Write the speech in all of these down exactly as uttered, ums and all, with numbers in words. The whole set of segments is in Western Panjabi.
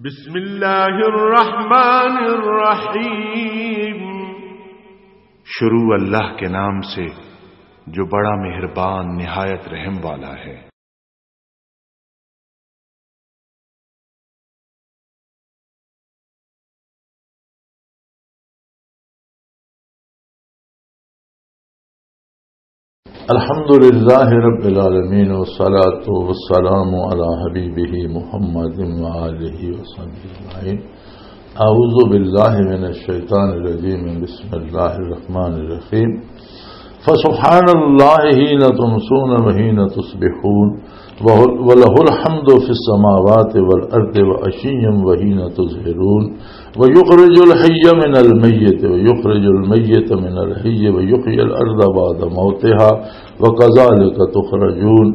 بسم اللہ الرحمن الرحیم۔ شروع اللہ کے نام سے، جو بڑا مہربان، نہایت رحم والا ہے۔ الحمد لله رب العالمين، والصلاة والسلام على حبيبه محمد وآله وصحبه أجمعين. أعوذ بالله من الشيطان الرجيم. بسم الله الرحمن الرحيم. فسبحان الله حين تمسون وحين تصبحون، وله الحمد في السماوات والأرض وعشيا وحين تظهرون، ويخرج الحي من الميت ويخرج الميت من الحي ويحيي الأرض بعد موتها وكذلك تخرجون.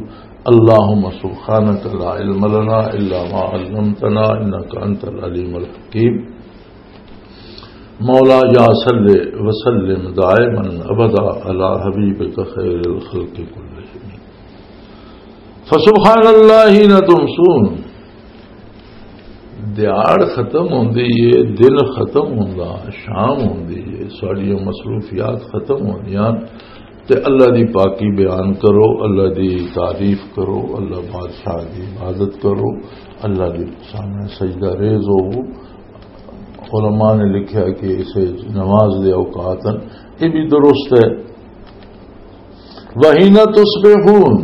اللهم سبحانك لا علم لنا إلا ما علمتنا إنك أنت العليم الحكيم. مولا یا صلی وسلم دائما ابدا علی حبیبک خیر الخلق کلہم۔ فسبحان اللہ حین تمسون، دیہاڑ ختم ہوندی ہے، دن ختم ہوندا، شام ہوندی ہے، ساڈیاں مصروفیات ختم ہوندیاں، تے اللہ دی پاکی بیان کرو، اللہ دی تعریف کرو، اللہ بادشاہ دی عبادت کرو، اللہ دے سامنے سجدہ ریز ہوو۔ علماء نے لکھیا کہ اسے نماز دے اوقات ہیں، یہ بھی درست ہے۔ وحین تصبحون،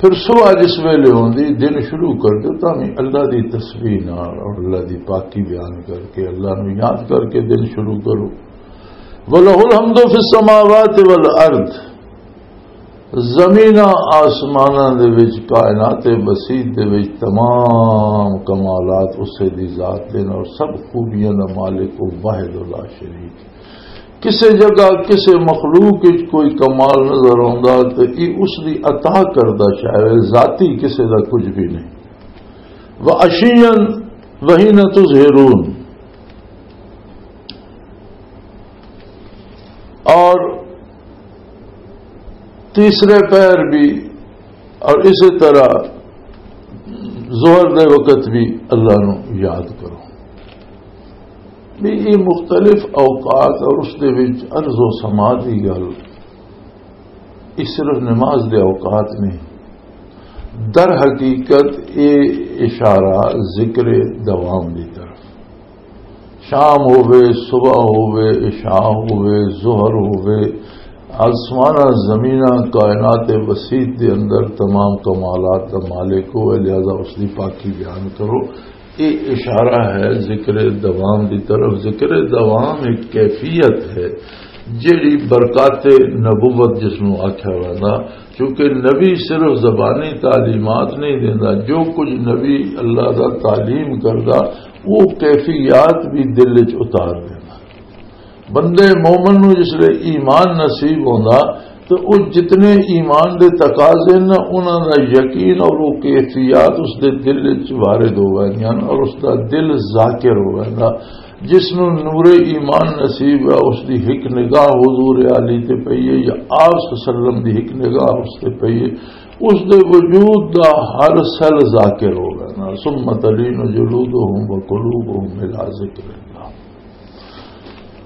پھر صبح جس ویلے ہوندی، دن شروع کر دو، تاں بھی اللہ دی تسبیح نال اور اللہ دی پاکی بیان کر کے، اللہ نو یاد کر کے دن شروع کرو۔ وَلَهُ الْحَمْدُ فِي السَّمَاوَاتِ وَالْأَرْضِ، زمیناں آسماناں دے وچ، کائنات وسیع دے وچ تمام کمالات اسے دی ذات دے، اور سب خوبیاں دا مالک او واحد لا شریک۔ کسے جگہ، کسے مخلوق وچ کوئی کمال نظر آوندا تے یہ اس دی عطا کردہ شے ہے، ذاتی کسے دا کچھ بھی نہیں۔ وَعَشِيًّا وَحِينَ تُظْهِرُونَ، اور تیسرے پہر بھی، اور اسی طرح ظہر دے وقت بھی اللہ نو یاد کرو۔ بھی یہ مختلف اوقات اور اس دے وچ عرض و سما دی گل، یہ صرف نماز دے اوقات نہیں، در حقیقت یہ اشارہ ذکر دوام دی طرف۔ شام ہووے، صبح ہووے، عشاء ہووے، ظہر ہووے، آسماناں زمیناں کائنات وسیع دے اندر تمام کمالات دا مالک ہوئے، لہذا اس دی پاکی بیان کرو۔ یہ اشارہ ہے ذکر دوام دی طرف۔ ذکر دوام ایک کیفیت ہے جیڑی برکات نبوت جس نوں آکھیا ویندا، کیونکہ نبی صرف زبانی تعلیمات نہیں دیندا، جو کچھ نبی اللہ دا تعلیم کردا، وہ کیفیات بھی دل وچ اتار دیندا۔ بندے مومن نوں جس لے ایمان نصیب ہوندا، تو وہ جتنے ایمان دے تقاضے نا، انہاں دا یقین اور وہ کیفیات اس دے دل وچ وارد ہو ویندیاں اور اس دا دل ذاکر ہو ویندا۔ جس نوں نور ایمان نصیب ہے، اس دی ہک نگاہ حضور علی تے پئی ہے یا آپ صلی اللہ علیہ وسلم دی ہک نگاہ اس تے پئی ہے، اس دے وجود دا ہر سیل ذاکر ہو گیا نا۔ ثم تلین جلودہم وقلوبہم الی ذکر اللہ۔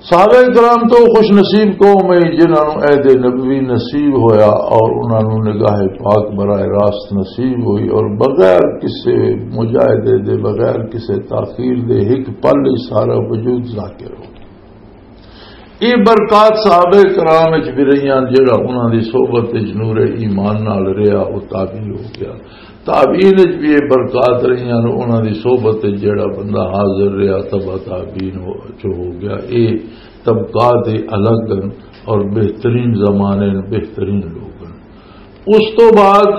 صحابہ کرام تو خوش نصیب قوم ہے جنہاں نوں عہد نبوی نصیب ہویا اور انہاں نوں نگاہ پاک براہ راست نصیب ہوئی اور بغیر کسے مجاہدے دے، بغیر کسے تاخیر دے، ایک پل ہی سارا وجود ذاکر ہو۔ یہ برکات صحابہ کرام وچ بھی رہیاں، جڑا انہاں دی صحبت وچ نور ایمان نال رہیا، او تابعی ہو گیا۔ تابعین وچ بھی یہ برکات رہیاں، انہاں دی صحبت وچ جڑا بندہ حاضر رہیا، تبع تابعین ہو، چ ہو گیا۔ یہ طبقات الگ ہیں اور بہترین زمانے نے، بہترین لوگ ہیں۔ اس تو بعد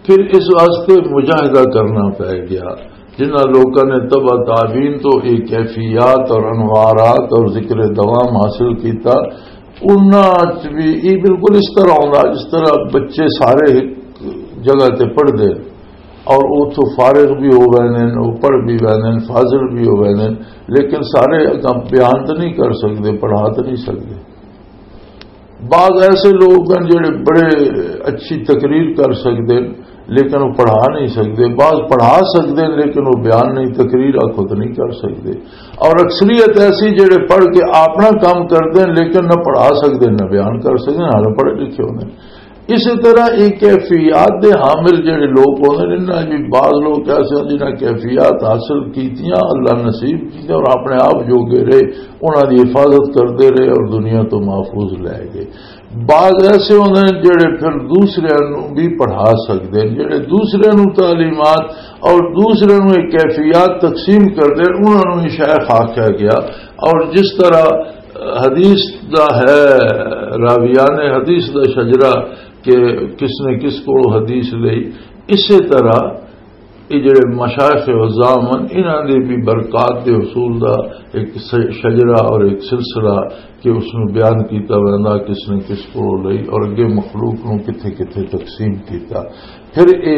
پھر اس واسطے مجاہدہ کرنا پے گیا۔ جنہاں لوکاں نے تبع تابعین تو یہ کیفیات اور انوارات اور ذکر دوام حاصل کیتا، انہاں چ بھی یہ بالکل اس طرح ہوندا جس طرح بچے سارے ایک جگہ تے پڑھدے اور اتھوں فارغ بھی ہو ویندے نے، وہ پڑھ بھی ویندے نے، فاضل بھی ہو ویندے نے، لیکن سارے بیان تو نہیں کر سکدے، پڑھا تو نہیں سکدے۔ بعض ایسے لوگ ہیں جڑے بڑے اچھی تقریر کر سکدے ہیں، لیکن وہ پڑھا نہیں سکتے۔ بعض پڑھا سکتے ہیں، لیکن وہ بیان نہیں، تقریر خود نہیں کر سکتے۔ اور اکثریت ایسی جڑے پڑھ کے اپنا کام کرتے ہیں، لیکن نہ پڑھا سکتے، نہ بیان کر سکتے، نہ پڑھے لکھے ہوتے ہیں۔ اسی طرح یہ کیفیات دے حامل جڑے لوگ ہوندے نے، انہاں وچ بعض لوگ ایسے ہوندے جنہاں کیفیات حاصل کیتیاں، اللہ نصیب کیتے اور اپنے آپ جوگے رہے، انہاں دی حفاظت کردے رہے اور دنیا تو محفوظ لے گئے۔ بعض ایسے ہوندے نے جڑے پھر دوسرے نوں بھی پڑھا سکدے نے، جڑے دوسرے نوں تعلیمات اور دوسرے نوں یہ کیفیات تقسیم کردے نے، انہاں نوں ہی شیخ آکھیا گیا۔ اور جس طرح حدیث دا ہے، راویان حدیث دا شجرہ کہ کس نے کس کو حدیث لئی، اسی طرح یہ جڑے مشائخ عظام ہیں، انہاں دے بھی برکات دے حصول دا ایک س-، شجرہ اور ایک سلسلہ کہ اس نوں بیان کیتا ویندا کس نے کس کو لئی اور اگے مخلوق نوں کتھے کتھے تقسیم کیتا۔ پھر یہ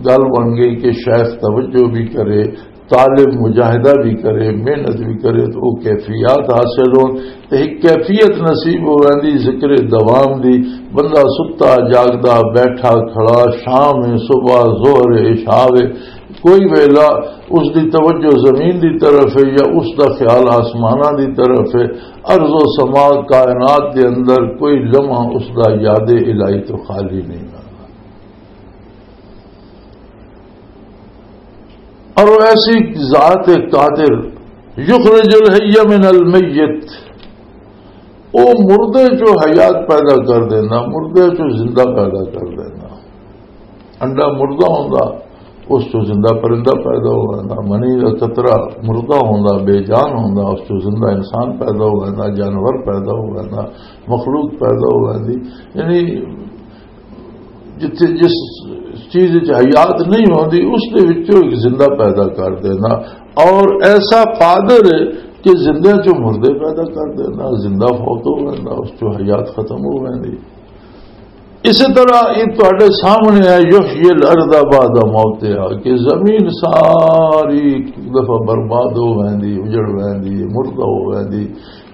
گل بن گئی کہ شیخ توجہ بھی کرے، طالب مجاہدہ بھی کرے، محنت بھی کرے، تو وہ کیفیات حاصل ہون۔ تے ایک کیفیت نصیب ہو ویندی ذکر دوام دی۔ بندہ ستا جاگدا، بیٹھا کھڑا، شام ہے، صبح، ظہر ہے، عشاء ہے، کوئی ویلا اس دی توجہ زمین دی طرف ہے یا اس دا خیال آسماناں دی طرف ہے۔ ارض و سما کائنات دے اندر کوئی لمحہ اس دا یاد الہی تو خالی نہیں رہنا۔ اور وہ ایسی ذات قادر، یخرج الحی من المیت، وہ مردے چوں حیات پیدا کر دینا، مردے چوں زندہ پیدا کر دینا۔ انڈا مردہ ہوندا، اس چوں زندہ پرندہ پیدا ہو ویندا، منی دا قطرہ مردہ ہوندا، بے جان ہوندا، اس چوں زندہ انسان پیدا ہو ویندا، جانور پیدا ہو ویندا، مخلوق پیدا ہو ویندی۔ یعنی جتھے جس چیز وچ حیات نہیں ہوندی، اس دے وچوں ایک زندہ پیدا کر دینا۔ اور ایسا قادر ہے کہ زندہ چوں مردے پیدا کر دینا، زندہ فوت ہو ویندا، اس چوں حیات ختم ہو ویندی۔ اسی طرح یہ تہاڈے سامنے ہے، یحیی الارض بعد موتها، کہ زمین ساری ایک دفعہ برباد ہو ویندی، اجڑ ویندی، مردہ ہو ویندی،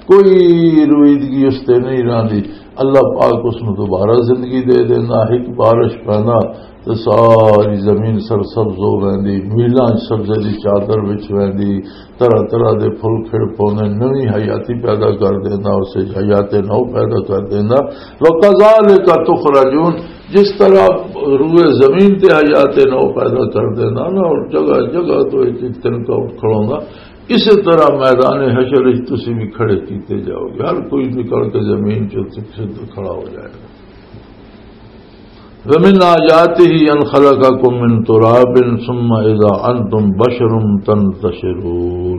کوئی رویدگی اس تے نہیں رہندی۔ اللہ پاک اس نوں دوبارہ زندگی دے دیندا، ایک بارش پیندا تے ساری زمین سرسبز ہو ویندی، میلاں سبزے دی چادر وچ ویندی، طرح طرح دے پھل کھڑ پوندے، نویں حیاتی پیدا کر دیندا، اس وچ حیات نو پیدا کر دیندا۔ وَكَذَلِكَ تُخْرَجُونَ، جس طرح روئے زمین تے حیات نو پیدا کر دیندا نا، اور جگہ جگہ تو ایک ایک تنکا اٹھ کھڑوندا، اسی طرح میدان حشر وچ تسی بھی کھڑے کیتے جاؤ گے۔ ہر کوئی نکل کے زمین چ کھڑا ہو جائے گا۔ وَمِنْ آيَاتِهِ أَنْ خَلَقَكُمْ مِنْ تُرَابٍ ثُمَّ إِذَا أَنْتُمْ بَشَرٌ تَنْتَشِرُونَ۔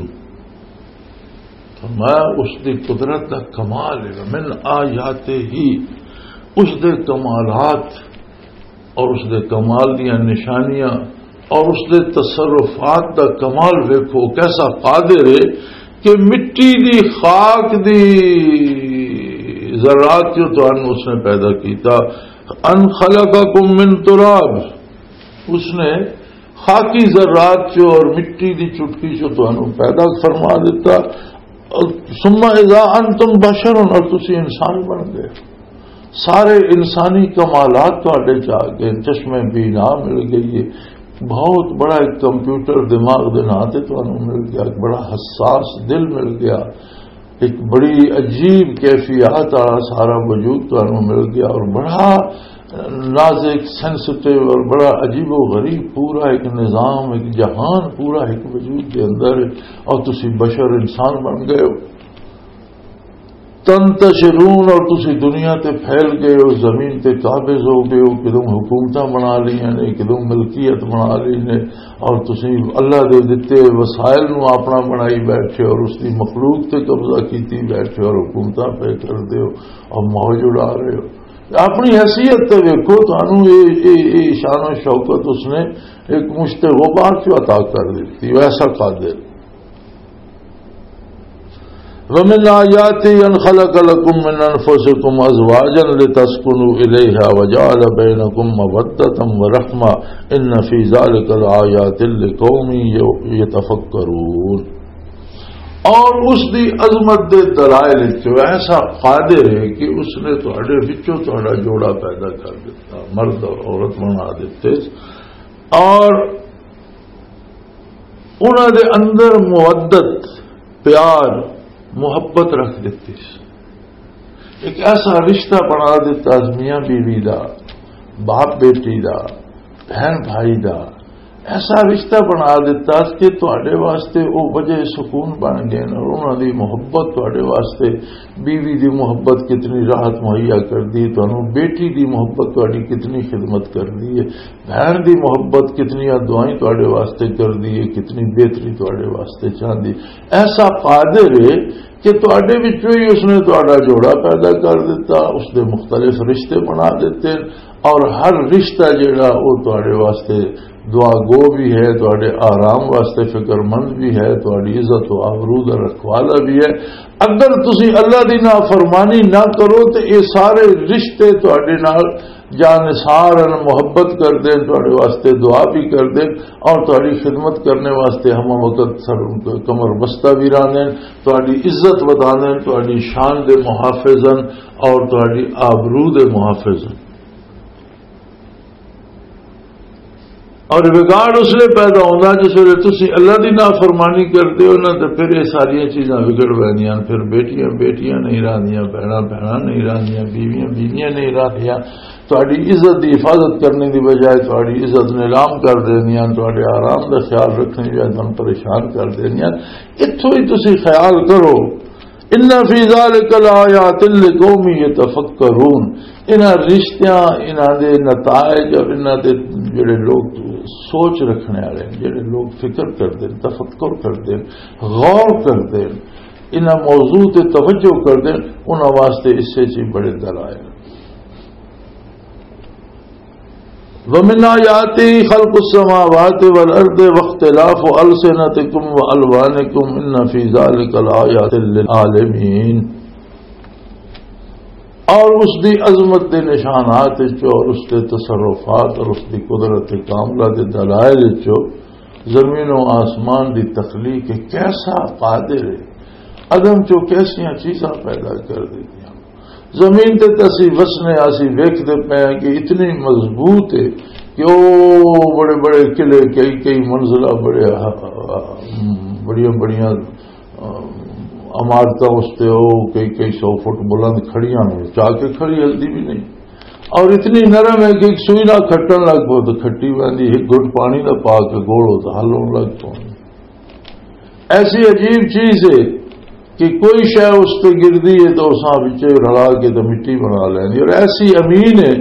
فرمایا، اس دی قدرت دا کمال ہے۔ وَمِنْ آيَاتِهِ، اس دے کمالات اور اس دے کمال دیاں نشانیاں اور اس دے تصرفات دا کمال ویکھو، کیسا قادر ہے کہ مٹی دی خاک دی ذرات جو تانوں اس نے پیدا کیتا۔ ان خلقکم من تراب، اس نے خاکی ذرات چو اور مٹی دی چٹکی چو تانوں پیدا فرما دیتا۔ ثم اذا انتم بشر، اور تسی انسان بن گئے۔ سارے انسانی کمالات تہاڈے چ آ گئے، چشمے بینا مل گئی ہے، بہت بڑا ایک کمپیوٹر دماغ دے ناں تے تانوں مل گیا، ایک بڑا حساس دل مل گیا، ایک بڑی عجیب کیفیات والا سارا وجود تانوں مل گیا، اور بڑا نازک، سینسٹیو اور بڑا عجیب و غریب پورا ایک نظام، ایک جہان پورا ایک وجود کے اندر ہے، اور تسی بشر انسان بن گئے ہو۔ تنتشرون، اور تسی دنیا تے پھیل گئے ہو، زمین تے قابض ہو گئے ہو، کدوں حکومتاں بنا لئیاں نے، کدوں ملکیت بنا لئی نے، اور تسی اللہ دے دتے وسائل نو اپنا بنائی بیٹھے اور اس دی مخلوق تے قبضہ کیتی بیٹھے اور حکومتاں پہ کر دے ہو اور موج اڑا رہے ہو۔ اپنی حیثیت تے ویکھو، تانوں اے، اے، اے شان و شوکت اس نے ایک مشت غبار چوں عطا کر دتی، ویسا قادر۔ ومن آياته أن خلق لكم من أنفسكم أزواجا لتسكنوا إليها وجعل بينكم مودة ورحمة إن في ذلك لآيات لقوم يتفكرون۔ اور اس دی عظمت دے دلائل وچوں ایسا قادر ہے کہ اس نے تہاڈے وچوں تہاڈا جوڑا پیدا کر دیتا، مرد اور عورت بنا دیتے، اور انہاں دے اندر مودت، پیار، محبت رکھ دیتی۔ ایک ایسا رشتہ بنا دیتا میاں بیوی دا، باپ بیٹی دا، بہن بھائی دا، ایسا رشتہ بنا دیتا کہ تہاڈے واسطے او وجہ سکون بن گئے اور انہاں دی محبت تہاڈے واسطے، بیوی دی محبت کتنی راحت مہیا کر دی، تانوں بیٹی دی محبت تہاڈی کتنی خدمت کر دی ہے، بہن دی محبت کتنی دعائیں تہاڈے واسطے کر دی ہے، کتنی بہتری تہاڈے واسطے چاہندی۔ ایسا قادر ہے کہ تہاڈے وچوں ہی اس نے تہاڈا جوڑا پیدا کر دیتا، اس دے مختلف رشتے بنا دیتے، اور ہر رشتہ جڑا وہ تہاڈے واسطے دعا گو بھی ہے، تہاڈے آرام واسطے فکر مند بھی ہے، تہاڈی عزت و آبرو دا رکھوالا بھی ہے۔ اگر تسی اللہ دی نافرمانی نہ کرو تو یہ سارے رشتے تہاڈے نال جانثار ہن، محبت کردے ہن، تہاڈے واسطے دعا بھی کردے ہن اور تہاڈی خدمت کرنے واسطے ہم وقت سر کمر بستہ بھی رہندے ہن، تہاڈی عزت وداندے ہن، تہاڈی شان دے محافظ ہن اور تہاڈی آبرو دے محافظ ہن۔ اور وگاڑ اس لیے پیدا ہوتا جس ویلے تسی اللہ دی نافرمانی کردے ہو نا، تو پھر یہ ساری چیزاں وگڑ پیندیاں، پھر بیٹیاں بیٹیاں نہیں رہندیاں، بہناں بہناں نہیں رہندیاں، بیویاں بیویاں نہیں رہندیاں۔ تہاڈی عزت دی حفاظت کرنے دی بجائے تہاڈی عزت نیلام کر دیندیاں، تہاڈے آرام دا خیال رکھنے دی بجائے تہانوں پریشان کر دیندیاں۔ اتھوں ہی تسی خیال کرو، ان فی ذلک لآیات لقوم یتفکرون۔ انہاں رشتیاں، انہاں دے نتائج اور انہاں دے جڑے لوگ سوچ رکھنے والے ہیں، جڑے لوگ فکر کردے ہیں، تفکر کردے ہیں، غور کردے ہیں، انہاں موضوع تے توجہ کردے ہیں، انہاں واسطے اس سے چی بڑے دلائل۔ ومن آیاته خلق السماوات والارض واختلاف السنتکم والوانکم ان فی ذلک لآیات للعالمین۔ اور اس دی عظمت دے نشانات وچوں اور اس دے تصرفات اور اس دی قدرت کاملہ دے دلائل وچوں زمین و آسمان دی تخلیق ہے، کیسا قادر ہے، عدم چوں کیسیاں چیزاں پیدا کر دیتیاں۔ زمین تے تے اسی وسنے، اسی ویکھدے پے ہیں کہ اتنی مضبوط ہے کہ او بڑے بڑے قلعے، کئی کئی منزلہ، بڑے، بڑیاں بڑیاں عمارتاں اس تے او کئی کئی سو فٹ بلند کھڑیاں نے، چاہ کے کھڑی ہلدی بھی نہیں۔ اور اتنی نرم ہے کہ ایک سوئی نہ کھٹن لگ پو تو کھٹی ویندی، ایک گھٹ پانی دا پا کے گولو تو ہلون لگ پو۔ ایسی عجیب چیز ہے کہ کوئی شے اس تے گردی ہے تو اساں وچے رلا کے تو مٹی بنا لیندی، اور ایسی امین ہے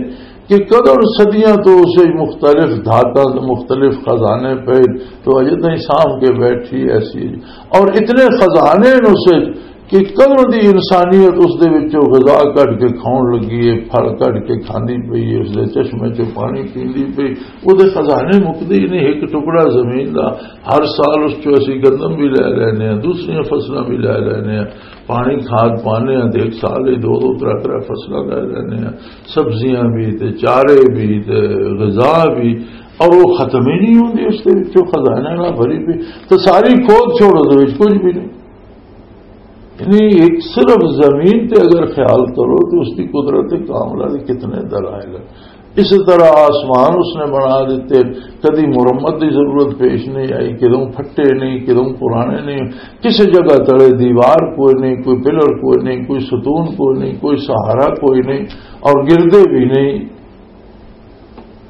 کہ قدر صدیاں تو اسے مختلف دھاتاں تے مختلف خزانے پے تو اجے تائیں سانبھ کے بیٹھی ایسی ہے۔ اور اتنے خزانے نے اسے کہ قدر دی انسانیت اس دے وچوں غذا کڈ کے کھاؤن لگی ہے، پھل کڈ کے کھاندی پئی ہے، اس دے چشمے چوں پانی پیندی پئی۔ او دے خزانے مکدے ہی نہیں، ایک ٹکڑا زمین دا ہر سال اس چوں اسی گندم بھی لے لینے ہیں، دوسریاں فصلاں بھی لے لینے ہیں، پانی کھاد پانے ہیں تے ایک سال ہی دو دو ترے ترے فصلاں لے لینے ہیں، سبزیاں بھی تے چارے بھی تے غذا بھی، اور وہ ختم ہی نہیں ہوندی، اس دے وچوں خزانے نال بھری پئی۔ تو ساری کھود چھوڑو، اس وچ کچھ بھی نہیں۔ یعنی ایک صرف زمین تے اگر خیال کرو تو اس کی قدرت کاملہ دے کتنے دلائل ہیں۔ اسی طرح آسمان اس نے بنا دیتے، کدی مرمت دی ضرورت پیش نہیں آئی، کدوں پھٹے نہیں، کدوں پرانے نہیں، کسی جگہ تلے دیوار کوئی نہیں، کوئی پلر کوئی نہیں، کوئی ستون کوئی نہیں، کوئی سہارا کوئی نہیں، اور گردے بھی نہیں۔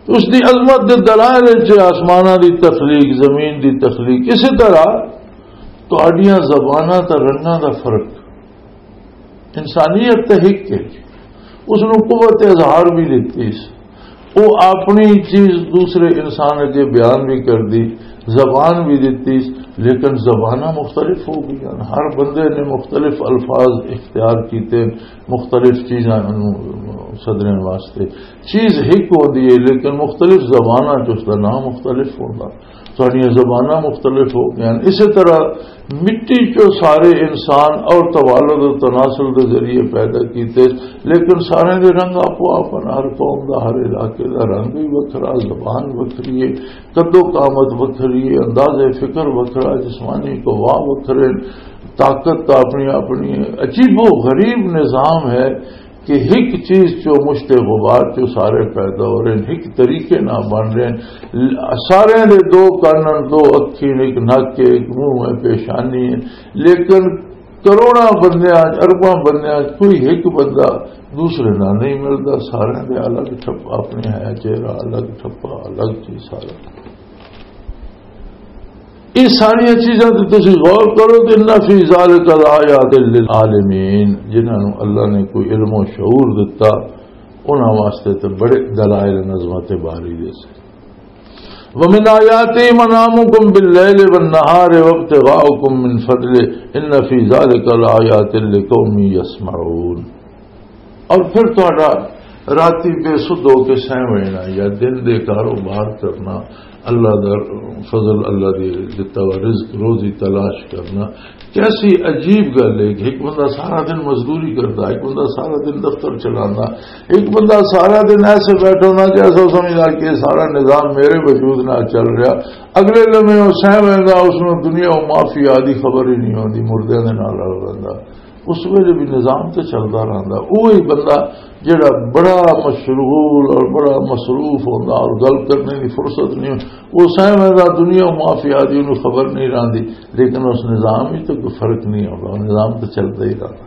اس دی عظمت دے دلائل وچ آسماناں دی تخلیق، زمین دی تخلیق، اسی طرح تہاڈیاں زباناں تے رنگاں دا فرق۔ انسانیت تے ہک ہے، اس نوں قوت اظہار بھی دتی سی، وہ اپنی چیز دوسرے انسان اگے بیان بھی کر دی، زبان بھی دتی سی، لیکن زباناں مختلف ہو گئیاں، ہر بندے نے مختلف الفاظ اختیار کیتے، مختلف چیزاں نوں سدرن واسطے۔ چیز ہک ہوندی ہے، لیکن مختلف زباناں چ اس دا نام مختلف ہوندا۔ ساڈیاں زباناں مختلف ہو گئیاں۔ اسی طرح مٹی چوں سارے انسان اور توالد و تناسل دے ذریعے پیدا کیتے، لیکن سارے دے رنگ آپو آپ ہن۔ ہر قوم دا، ہر علاقے دا رنگ بھی وکھرا، زبان وکھری ہے، قد و قامت وکھری ہے، انداز فکر وکھرا، جسمانی قوا وکھرے، طاقت دا اپنی، اپنی عجیب و غریب نظام ہے کہ ہک چیز چو مشت غبار چو سارے پیدا ہو رہے ہیں، ہک طریقے نال بن رہے ہیں، سارے دے دو کان، دو اکھیں، ایک نک ہے، ایک منہ ہے، پیشانی ہے، لیکن کروڑاں بندیاں چ، ارباں بندیاں چ کوئی ایک بندہ دوسرے نال نہیں ملدا، سارے دے الگ ٹھپا، اپنے ہے چہرہ الگ، ٹھپا الگ، چیز سارا۔ یہ ساری چیزاں تے تسی غور کرو کہ ان فی ذلک لآیات للعالمین، جنہاں نوں اللہ نے کوئی علم و شعور دتا، انہاں واسطے تے بڑے دلائل نظمت باری دے سے۔ ومن آیاتی منامکم باللیل والنہار وابتغاؤکم من فضلہ ان فی ذلک لآیات لقوم یسمعون۔ اور پھر تہاڈا راتی بے سدھ ہو کے سہ وینا یا دن دے کاروبار کرنا، اللہ دا فضل، اللہ دی دتا ہوا رزق روزی تلاش کرنا، کیسی عجیب گل ہے کہ ایک بندہ سارا دن مزدوری کرتا، ایک بندہ سارا دن دفتر چلانا، ایک بندہ سارا دن ایسے بیٹھا ہونا جیسا سمجھنا کہ سارا نظام میرے وجود نال چل رہا۔ اگلے لمحے وہ سہ ویندا، اس نوں دنیا و مافیا دی خبر ہی نہیں ہوندی، مردیاں دے نال رل رہندا۔ اس ویلے بھی نظام تے چلدا رہندا۔ وہی بندہ جڑا بڑا مشغول اور بڑا مصروف ہوندا اور گل کرنے دی فرصت نہیں ہوندی، وہ سہ ویندا، دنیا و مافیا دی انہوں خبر نہیں رہندی، لیکن اس نظام وچ تے کوئی فرق نہیں ہوندا، نظام تے چلدا ہی رہندا۔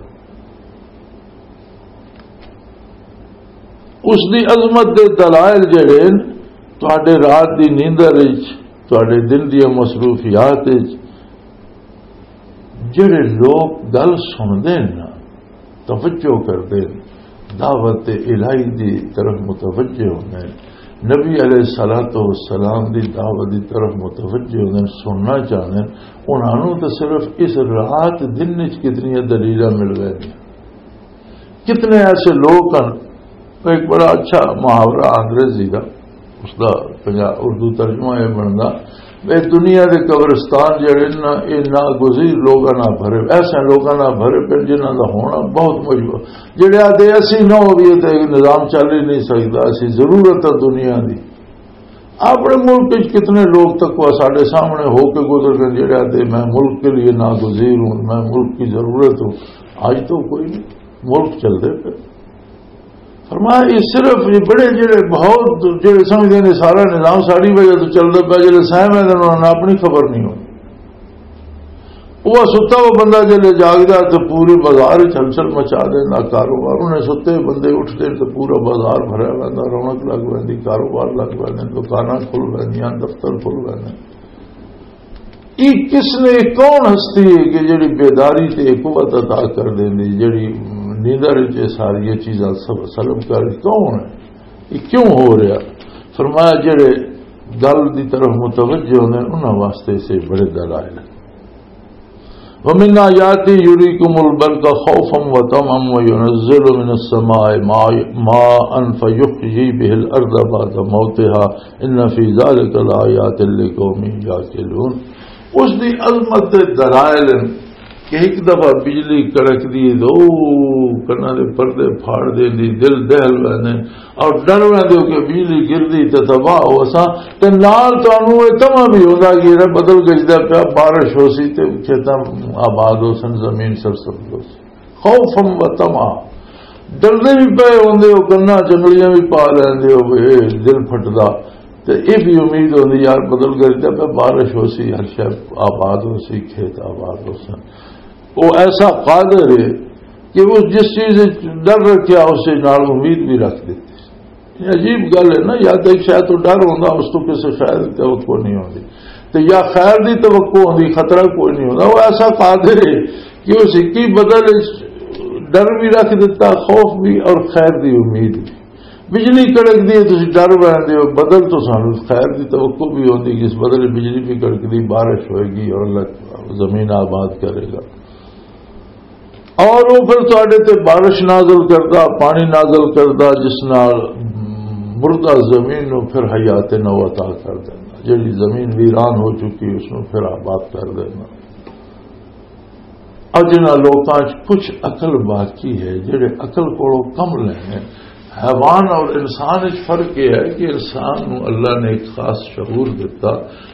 اس دی عظمت دے دلائل جڑے ہن، تہاڈے رات دی نیندر وچ، تہاڈے دن دیاں مصروفیات وچ، جڑے لوگ گل سنتے ہیں نا، توجہ کرتے ہیں، دعوت الہی دی طرف متوجہ ہوتے ہیں، نبی علیہ الصلوۃ والسلام دی دعوت دی طرف متوجہ ہوتے ہیں، سننا چاہتے ہیں، انہاں نوں تو صرف اس رات دن وچ کتنی دلیلاں مل رہی ہیں۔ کتنے ایسے لوگ ہیں، ایک بڑا اچھا محاورہ انگریزی کا، اس دا پنجاب، اردو ترجمہ یہ بندا، اے دنیا دے قبرستان جڑے نا، اے ناگزیر لوگاں نال بھرے، ایسے لوگاں نال بھرے پے جنہاں دا ہونا بہت مجبور، جڑے آدھے اسی نہ ہوئیے تے نظام چل ہی نہیں سکدا، اسی ضرورت ہے دنیا دی۔ اپنے ملک وچ کتنے لوگ تقوی ساڈے سامنے ہو کے گزر گئے، جڑے آدھے میں ملک کے لیے ناگزیر ہوں، میں ملک کی ضرورت ہوں۔ آج تو کوئی نہیں، ملک چل دے پے۔ فرمایا، یہ صرف یہ بڑے جڑے بہت جڑے سمجھدے نے سارا نظام ساری وجہ تو چلدا پیا، جڑے سہم ہیں انہاں نوں اپنی خبر نہیں ہوندی۔ وہ ستا ہوا بندہ جڑے جاگدا تے پورے بازار وچ ہلچل مچا دیندا کاروبار، انہیں ستے بندے اٹھدے تے پورا بازار بھریا رہندا، رونق لگ ویندی، کاروبار لگ ویندے، دکاناں کھل ویندیاں، دفتر کھل ویندے۔ یہ کس نے، کون ہستی ہے کہ جڑی بیداری تے قوت عطا کر دیندی، جڑی نیندر وچ یہ ساری چیزاں سب سلب کر، کون ہے؟ یہ کیوں ہو رہا؟ فرمایا، جڑے گل دی طرف متوجہ ہوندے نے، انہاں واسطے سے بڑے دلائل ہیں۔ ومن آیاتی یریکم البرق خوفا وطمعا وینزل من السماء ماء، ماء فیحیی به الارض بعد موتها ان فی ذلک لآیات لقوم یعقلون۔ اس دی عظمت دے دلائل ہیں کہ ایک دفعہ بجلی کڑک دی، دو کناں دے پردے پھاڑ دے دی، دل دہل ویندے اور ڈر ویندے ہو کہ بجلی گردی تے تباہ ہو اساں۔ تے نال تانوں اے تما بھی ہوندا کہ جڑا بدل گجدا پیا، بارش ہو سی تے کھیتاں آباد ہو سن، زمین سرسبز ہو سی۔ خوفا و طمعا، ڈردے بھی پے ہوندے ہو، کناں جنگلیاں بھی پا لیندے ہو، اے دل پھٹدا۔ تے اے بھی امید ہوندی، یار، بدل گرجدا پیا، بارش ہو سی، ہر شے آباد ہو سی، کھیت آباد ہو سن۔ وہ ایسا قادر ہے کہ وہ جس چیز وچ ڈر رکھیا، اس نال امید بھی رکھ دیتی۔ یہ عجیب گل ہے نا، یا تے شاید تو ڈر ہوندا، اس تو کسی خیر دی توقع نہیں ہوندی، تے یا خیر دی توقع ہوندی، خطرہ کوئی نہیں ہوندا۔ وہ ایسا قادر ہے کہ اس ایک ہی بدل وچ ڈر بھی رکھ دیتا، خوف بھی اور خیر دی امید بھی۔ بجلی کڑک دی ہے، تسی ڈر ویندے ہو، بدل تو سانو خیر دی توقع بھی ہوندی کہ اس بدل بجلی بھی کڑک دی، بارش ہوئے گی اور اللہ زمین آباد کرے گا۔ اور وہ پھر تواڈے تے بارش نازل کردا، پانی نازل کردا، جس نال مردہ زمین نو پھر حیات نو عطا کر دینا، جڑی زمین ویران ہو چکی، اس نو پھر آباد کر دینا۔ اج انہاں لوکاں چ کچھ عقل باقی ہے، جڑے عقل کولوں کم لینے، حیوان اور انسان وچ فرق یہ ہے کہ انسان نو اللہ نے ایک خاص شعور دیتا۔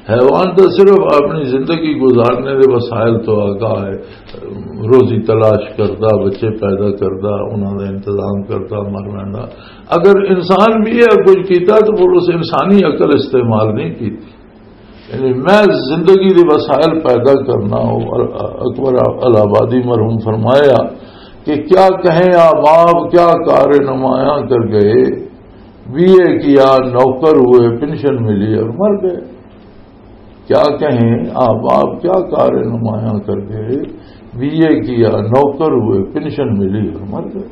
حیوان تو صرف اپنی زندگی گزارنے دے وسائل تو آگاہ ہے، روزی تلاش کردا، بچے پیدا کردا، انہاں دا انتظام کردا، مر ویندا۔ اگر انسان بھی یہ کچھ کیتا تو وہ اس انسانی عقل استعمال نہیں کیتی۔ یعنی میں زندگی دے وسائل پیدا کرنا ہوں۔ اکبر الہ آبادی مرحوم فرمایا کہ کیا کہیں احباب، کیا کار نمایاں کر گئے، بی اے کیا، نوکر ہوئے، پنشن ملی اور مر گئے۔ کیا کہیں احباب، کیا کار نمایاں کر گئے، بی اے کیا، نوکر ہوئے، پنشن ملی اور مر گئے۔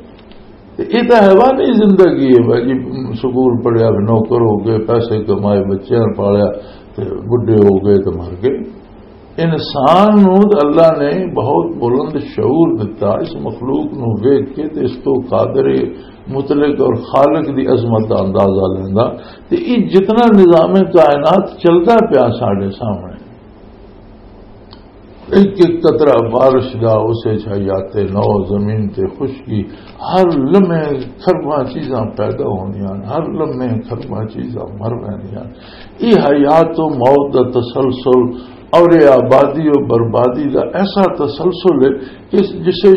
تے یہ تو حیوانی زندگی ہے بھائی جی، سکول پڑھیا، نوکر ہو گئے، پیسے کمائے، بچیاں پالیا، تے بڈھے ہو گئے تے مر گئے۔ انسان نو تے اللہ نے بہت بلند شعور دتا، اس مخلوق نو ویکھ کے تے اس تو قادر مطلق اور خالق دی عظمت دا اندازہ لیندا۔ تے یہ جتنا نظام کائنات چلدا پیا ساڈے سامنے، ایک ایک قطرہ بارش دا، اسے چ حیات نو، زمین تے خشکی، ہر لمحے خرباں چیزاں پیدا ہوندیاں، ہر لمحے خرباں چیزاں مر ویندیاں۔ یہ حیات و موت دا تسلسل اور یہ آبادی و بربادی دا ایسا تسلسل ہے کہ جسے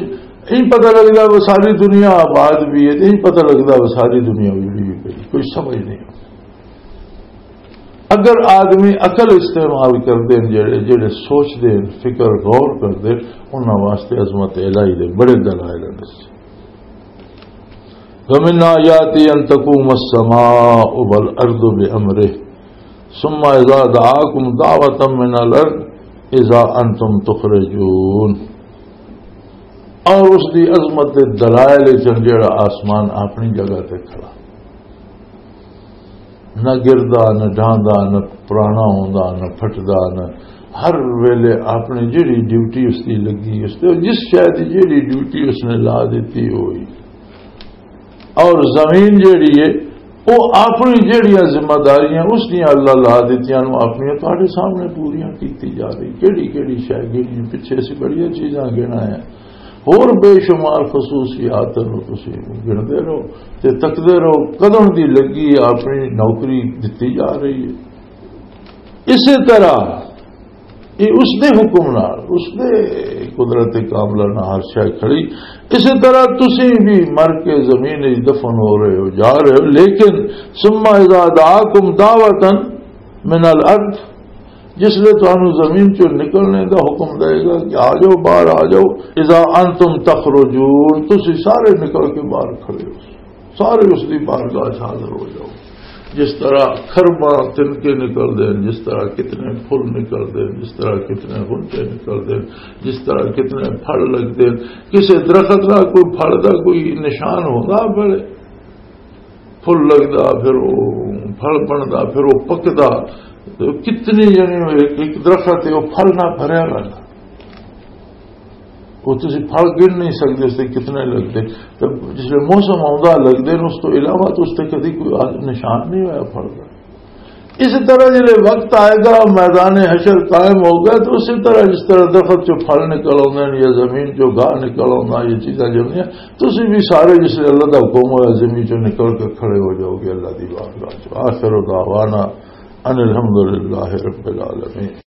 نہیں پتہ لگدا وہ ساری دنیا آباد بھی ہے، نہیں پتہ لگدا وہ ساری دنیا اجڑی بھی پئی، کوئی سمجھ نہیں۔ اگر آدمی عقل استعمال کر دین، جڑے جڑے سوچ دین، فکر غور کر دین، انہاں واسطے عظمت الہی دے بڑے دلائل ہیں۔ ومن آیاتی ان تقوم السماء والارض بامرہ ثم اذا دعاکم دعوة من الارض اذا انتم تخرجون۔ اور اس دی عظمت دے دلائل چن جڑا آسمان اپنی جگہ تے کھڑا، نہ گردا، نہ ڈھاندا، نہ پرانا ہوندا، نہ پھٹدا، نہ ہر ویلے اپنی جڑی ڈیوٹی اس دی لگی، اس تے جس شے دی جڑی ڈیوٹی اس نے لا دتی ہوئی۔ اور زمین جڑی ہے، وہ اپنی جڑیاں ذمہ داریاں اس دیاں اللہ لا دتیاں نو اپنیاں تہاڈے سامنے پوریاں کیتی جا رہی۔ کیڑی کیڑی شے گنی، پچھے اسی بڑیاں چیزاں گنا ہے، ہور بے شمار خصوصیات نو تسی گندے رہو تے تکدے رہو، کدوں دی لگی اپنی نوکری دتی جا رہی ہے۔ اسی طرح یہ اس دے حکم نال، اس دے قدرت کاملہ نال ہر شے کھڑی۔ اسی طرح تسی بھی مر کے زمین وچ دفن ہو رہے ہو، جا رہے ہو، لیکن ثم اذا دعاکم دعوة من الارض، جس لئے تانوں زمین چوں نکلنے دا حکم دے گا کہ آ جاؤ، باہر آ جاؤ، اذا انتم تخرجون، تسی سارے نکل کے باہر کھڑے ہو، سارے اس دی بارگاہ چ حاضر ہو جاؤ۔ جس طرح خرباں تنکے نکل دے، جس طرح کتنے پھل نکل دے، جس طرح کتنے غنچے نکل دے، جس طرح کتنے پھل لگدے، کسے درخت دا کوئی پھل دا کوئی نشان ہوندا؟ بڑے پھل لگدا، پھر وہ پھل بندا، پھر وہ پکدا، تے کتنی، یعنی، ایک، ایک درخت ہے، وہ پھل نہ بھریا رہندا۔ وہ تسی پھل گن نہیں سکتے، اس سے کتنے لگتے۔ تے جس ویلے موسم آوندا لگدے نے، اس تو علاوہ تو اس تے کدی کوئی آ-، نشان نہیں ہویا پھل دا۔ اسی طرح جلے وقت آئے گا، میدان حشر قائم ہوگا، تو اسی طرح جس طرح درخت چوں پھل نکل آوندے نے یا زمین چوں گاہ نکل آوندا، یہ چیزاں جمدیاں، تسی بھی سارے جس ویلے اللہ دا حکم ہویا زمین چوں نکل کے کھڑے ہو جاؤ گے اللہ دی بارگاہ چ۔ آخر دعوانا ان الحمد للہ رب العالمین۔